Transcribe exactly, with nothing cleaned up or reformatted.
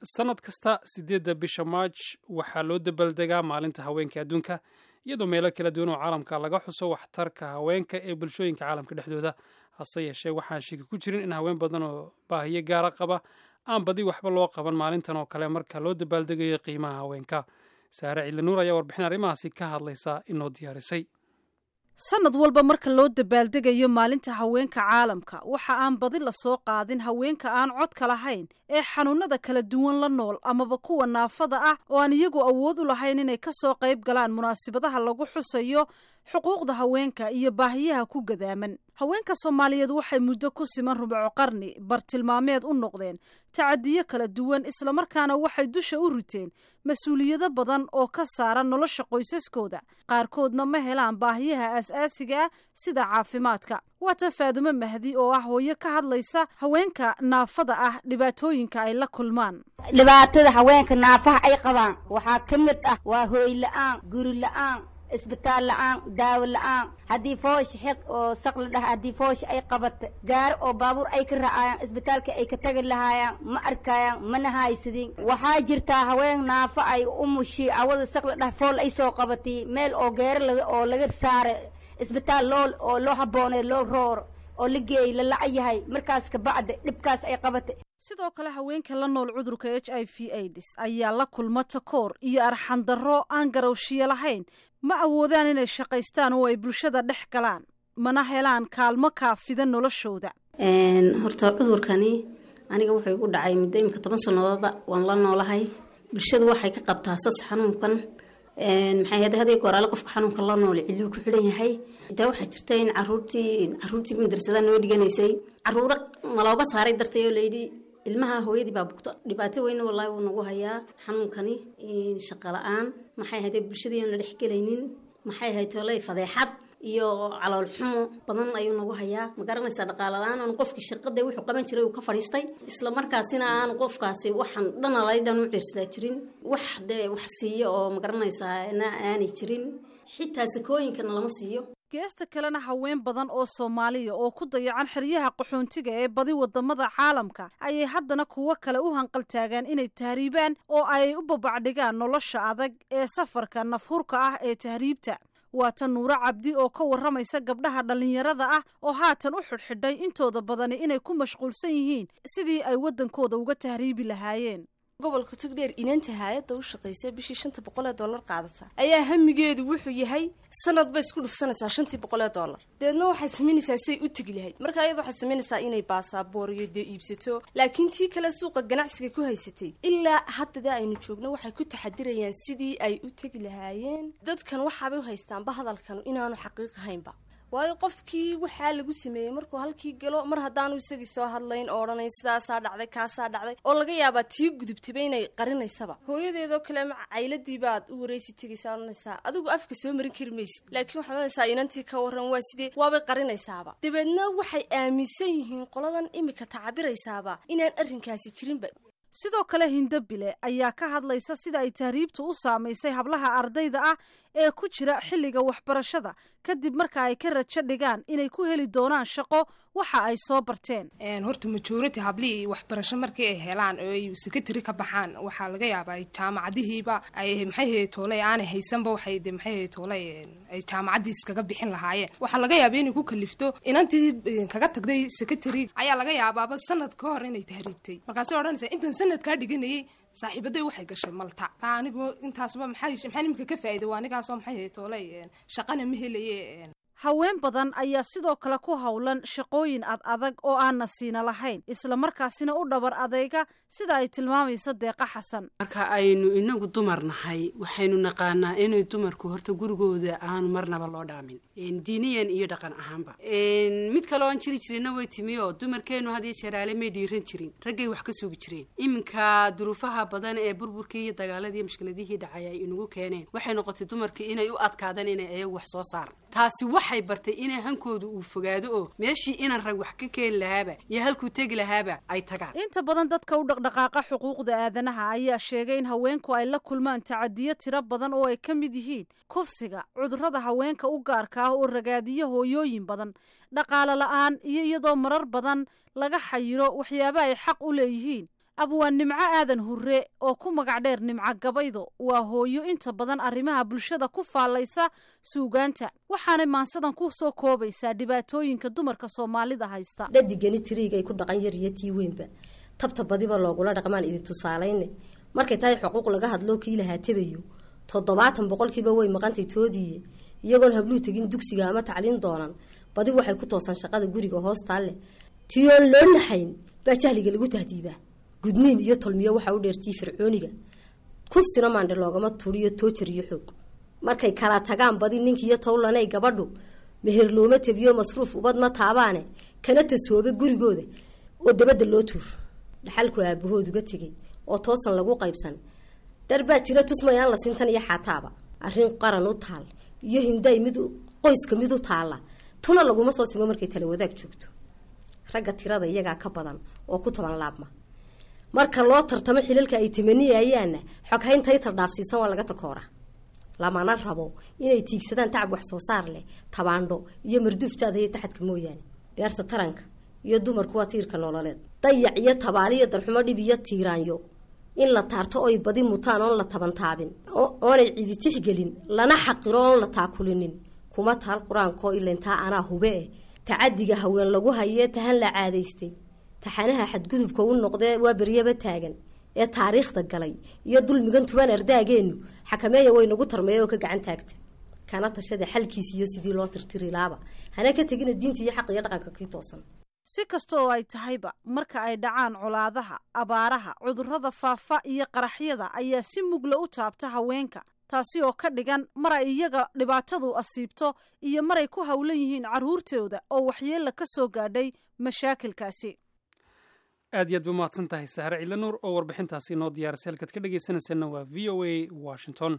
Sanad kasta sideedda bisha Maarj waxaa loo dabaaldegaa Maalinta Haweenka Adduunka, iyadoo meelo kala duwan oo caalamka laga xuso waxtarka haweenka ee bulshooyinka caalamka dhexdooda. Hase yeeshee, waxaan shiki ku jirin in haween badan oo baahiyo gaara qaba aan badi waxba loo qaban maalintan oo kale marka loo dabaaldegayo qiimaha haweenka. Saare Ciidla Nuur ayaa warbixin arrimahaasi ka hadlaysa inoo diyaarisay. Sanad walba marka loo dabaaldegayo Maalinta Haweenka Caalamka, waxa aan badi lasoo qaadin haweenka aan codka lahayn ee xanuunada kala duwan la nool amaba kuwa naafada ah oo aan iyagu awood u lahayn inay kasoo qayb galaan munaasabadaha lagu xusayo xuquuqda haweenka iyo baahiyaha ku gadaaman. Haweenka Soomaaliyeed waxay muddo ku siman rubuco qarni bartilmaameed u noqdeen tacadiyo kala duwan, islamarkaana waxay dusha u riteen mas-uuliyado badan oo ka saaran nolosha qoysaskooda. Qaarkoodna ma helaan baahiyaha aas-aasiga ah sida caafimaadka. Waatan Faadumo Mahdi oo ah hooyo ka hadlaysa haweenka naafada ah dhibaatooyinka ay la kulmaan. Dhibaatada haweenka naafaha ay qabaan waxaa ka mid ah waa hooy la-aan, guri la-aan, isbitaal la-aan, daawo la-aan. Haddii foosh xiq oo saq la dhaha, haddii foosh ay qabata, gaari oo baabuur ay ka racaayaan isbitaalka ay ka tagi lahaayaan ma arkayaan, mana haysadin. Waxaa jirtaa haween naafo ay umushi awada saq la dhaha, fool ay soo qabatay, meel oo geero laga oo laga saara isbitaal loo oo loo habbooneed loo rooro oo la geeyey la laca yahay. Markaas ka bacda dhibkaas ay qabatay. Sidoo kale, haweenka la nool cudurka H I V AIDS ayaa la kulma takoor iyo arxandarro aan garowshiyo lahayn. Ma awoodaan inay shaqaystaan oo ay bulshada dhex galaan, mana helaan kaalmo kaafida noloshooda. Horta cudurkani aniga wuxuu igu dhacay muddo imika toban sanadooda waan la noolahay. Bulshadu waxay ka qabtaa sas xanuunkan. Maxay ahayd, hadii goraale qofka xanuunka la nool ciluu ku xidhan yahay. Xitaa waxaa jirta in caruurtii caruurtii madrasada noo dhiganaysay caruuro nalooga saaray dartay oo layidhi ilmaha hooyadii baa bugto. Dhibaato weyn wallaahi wuu nagu hayaa xanuunkani: shaqo la-aan, maxay ahayd, bulshadii oon la dhexgelaynin, maxay ahayd toley, fadeexad iyo calool xumo badan ayuu nagu hayaa. Ma garanaysaa, dhaqaale la-aan oon qofkii shaqada wuxuu qaban jiray uu ka fadhiistay, isla markaasina aanu qofkaasi waxaan dhanalay dhan u ciirsadaa jirin, wax dee wax siiyo oo ma garanaysaa na aanay jirin, xitaa sakooyinkana lama siiyo. Geesta kalena, haween badan oo Soomaaliya oo ku dayacan xeryaha qaxoontiga ee badi wadamada caalamka ayay haddana kuwo kale u hanqaltaagaan inay tahriibaan oo ay u babacdhigaan nolosha adag ee safarka nafhurka ah ee tahriibta. Waa tan Nuuro Cabdi oo ka warramaysa gabdhaha dhallinyarada ah oo haatan u xidhxidhay intooda badani inay ku mashquulsan yihiin sidii ay waddankooda uga tahriibi lahaayeen. Gobolka Togdheer inanta haayadda u shaqaysa bishii shanta boqol ee dollar qaadata ayaa hamigeedu wuxuu yahay sanad bay isku dhufsanaysaa shantii boqol ee dollar. Dabeedna waxay samaynaysaa say u tegi lahayd. Marka iyada waxay samaynaysaa inay baasaboor iyo dee iibsato, laakiin tii kale suuqa ganacsiga ku haysatay ilaa haddada aynu joogno waxay ku taxadirayaan sidii ay u tegi lahaayeen. Dadkan waxaabay u haystaanba hadalkan inaanu xaqiiq ahaynba, waayo qofkii waxaa lagu sameeyey markuu halkii galo, mar haddaanu isagii soo hadlayn oo odhanayn sidaasaa dhacday, kaasaa dhacday, oo laga yaabaa tii gudubtayba inay qarinaysaba. Hooyadeedoo kale ma cayladii baad u wareysi tegaysaa, odhanaysaa adigu afka soo marin kari maysid, laakiin waxaad odhanaysaa inantii ka waran, waa sidee? Waabay qarinaysaaba. Dabeedna waxay aaminsan yihiin qoladan imika tacabiraysaaba inaan arrinkaasi jirinba. Sidoo kale, Hindabile ayaa ka hadlaysa sida ay tahriibtu u saamaysay hablaha ardayda ah ee ku jira xilliga waxbarashada kadib marka ay ka rajo dhigaan inay ku heli doonaan shaqo waxa ay soo barteen. Horta majority hablihii waxbarasho markii ay helaan oo ay secondary ka baxaan, waxaa laga yaabaa jaamacadihiiba ay maxay ahayd tooley aanay haysanba, waxay de maxay ahayd tooley ay jaamacaddii iskaga bixin lahaayeen. Waxaa laga yaabaa inay ku kalifto inantii kaga tagday secondary ayaa laga yaabaaba sanad ka hor inay tahriibtay. Markaasay odhanaysaa intan sanadkaa dhiganayay saaxiibaday waxay gashay Malta, anigu intaasba maxay maxaa nimka ka faa'iiday? Waa anigaasoo maxay ahayd tooley shaqana ma helaye. Haween badan ayaa sidoo kale ku howlan shaqooyin ad adag oo aan nasiina lahayn, islamarkaasina u dhabar adeyga, sida ay tilmaamayso Deeqa Xasan. Marka aynu inagu dumar nahay, waxaynu naqaanaa inay dumarku horta gurigooda aanu marnaba loo dhaamin, diiniyan iyo dhaqan ahaanba. Mid kale oon jiri jirina way timi oo dumarkeenu had iyo jeeraale may dhiiran jirin, raggay wax ka sugi jireen. Iminka duruufaha badan ee burburkii iyo dagaaladii iyo mushkiladihii dhacay ay inagu keeneen, waxay noqotay dumarkii inay u adkaadaan inay ayagu wax soo saaran. Taasi waxay bartay inay hankooda uu fogaado oo meeshii inaan rag wax ka keeni lahaaba iyo halkuu tegi lahaaba ay tagaan. Inta badan dadka u dhaqdhaqaaqa xuquuqda aadanaha ayaa sheegay in haweenku ay la kulmaan tacadiyo tiro badan oo ay ka mid yihiin kufsiga, cudurrada haweenka u gaarka ah oo ragaadiyo hooyooyin badan, dhaqaale la-aan iyo iyadoo marar badan laga xayiro waxyaaba ay xaq u leeyihiin. Abwaan Nimco Aadan Hurre oo ku magac dheer Nimco Gabaydo waa hooyo inta badan arrimaha bulshada ku faallaysa suugaanta, waxaanay maansadan ku soo koobaysaa dhibaatooyinka dumarka Soomaalida haysta. Dhadigani tiriigay ku dhaqan yar iyo tii weynba, tabta badiba loogula dhaqmaan idin tusaalayne. Markay tahay xuquuq laga hadloo kii lahaa tabayo, toddobaatan boqolkiiba way maqantay toodiiye. Iyagoon habluu tegin dugsiga ama tacliin doonan, badi waxay ku toosan shaqada guriga hoostaalle. Tiyoon loo naxayn baa jahliga lagu tahdiibaa. Gudniin iyo tolmiyo waxaa u dheertii fircooniga, kufsina maandhe loogama turiyo toojar iyo xoog. Markay kala tagaan badi ninkiiyo towlanay gabadhu, meher looma tabiyo, masruuf ubad ma taabaane, kana tasoobe gurigooda oo dabadda loo tuur. Dhaxalku aabahood uga tegay oo toosan lagu qaybsan darbaa jira tusmayaan la sintan iyo xaataaba. Arrin qaran u taal iyo hinday mid qoyska mid u taalla tuna laguma soo simo markay tala wadaag joogto. Ragga tirada iyagaa ka badan oo ku taban laabma. Marka loo tartamo xilalka ay tamaniyayaanna, xoghaynta itar dhaafsiisan waa laga takooraa. Lamana rabo inay tiigsadaan tacab wax soo saar leh, tabaandho iyo marduuftaada iyo taxadka mooyaane. Beerta taranka iyo dumarku waa tiirka nololeed. Dayac iyo tabaaliyo darxumo, dhib iyo tiiraanyo in la taarto oy badi mutaan oon la tabantaabin, oonay cidi tixgelin, lana xaqiro oon la taakulinin, kuma taal qur-aankoo ilantaa anaa hube eh. Tacadiga haween lagu hayee tahan la caadaystay, taxanaha xadgudubka u noqdee waa beryaba taagan ee taariikhda galay iyo dulmigan tuban ardaageenu xakameeya way nagu tarmeeya oo ka gacan taagta, kana tashada xalkiis iyo sidii loo tirtiri laaba, hana ka tegina diinta iyo xaq iyo dhaqanka kii toosan. Si kasta oo ay tahayba, marka ay dhacaan colaadaha, abaaraha, cudurrada faafa iyo qaraxyada ayaa si mugla u taabta haweenka, taasi oo ka dhigan mar ay iyaga dhibaatadu asiibto iyo maray ku howlan yihiin carruurtooda oo waxyeella ka soo gaadhay mashaakilkaasi. Aad iyo aad ba umahadsan tahay Sahre Ciidla Nuur oo warbixintaasi inoo diyaarisay. Halkaad ka dhegaysanaysaana waa V O A Washington.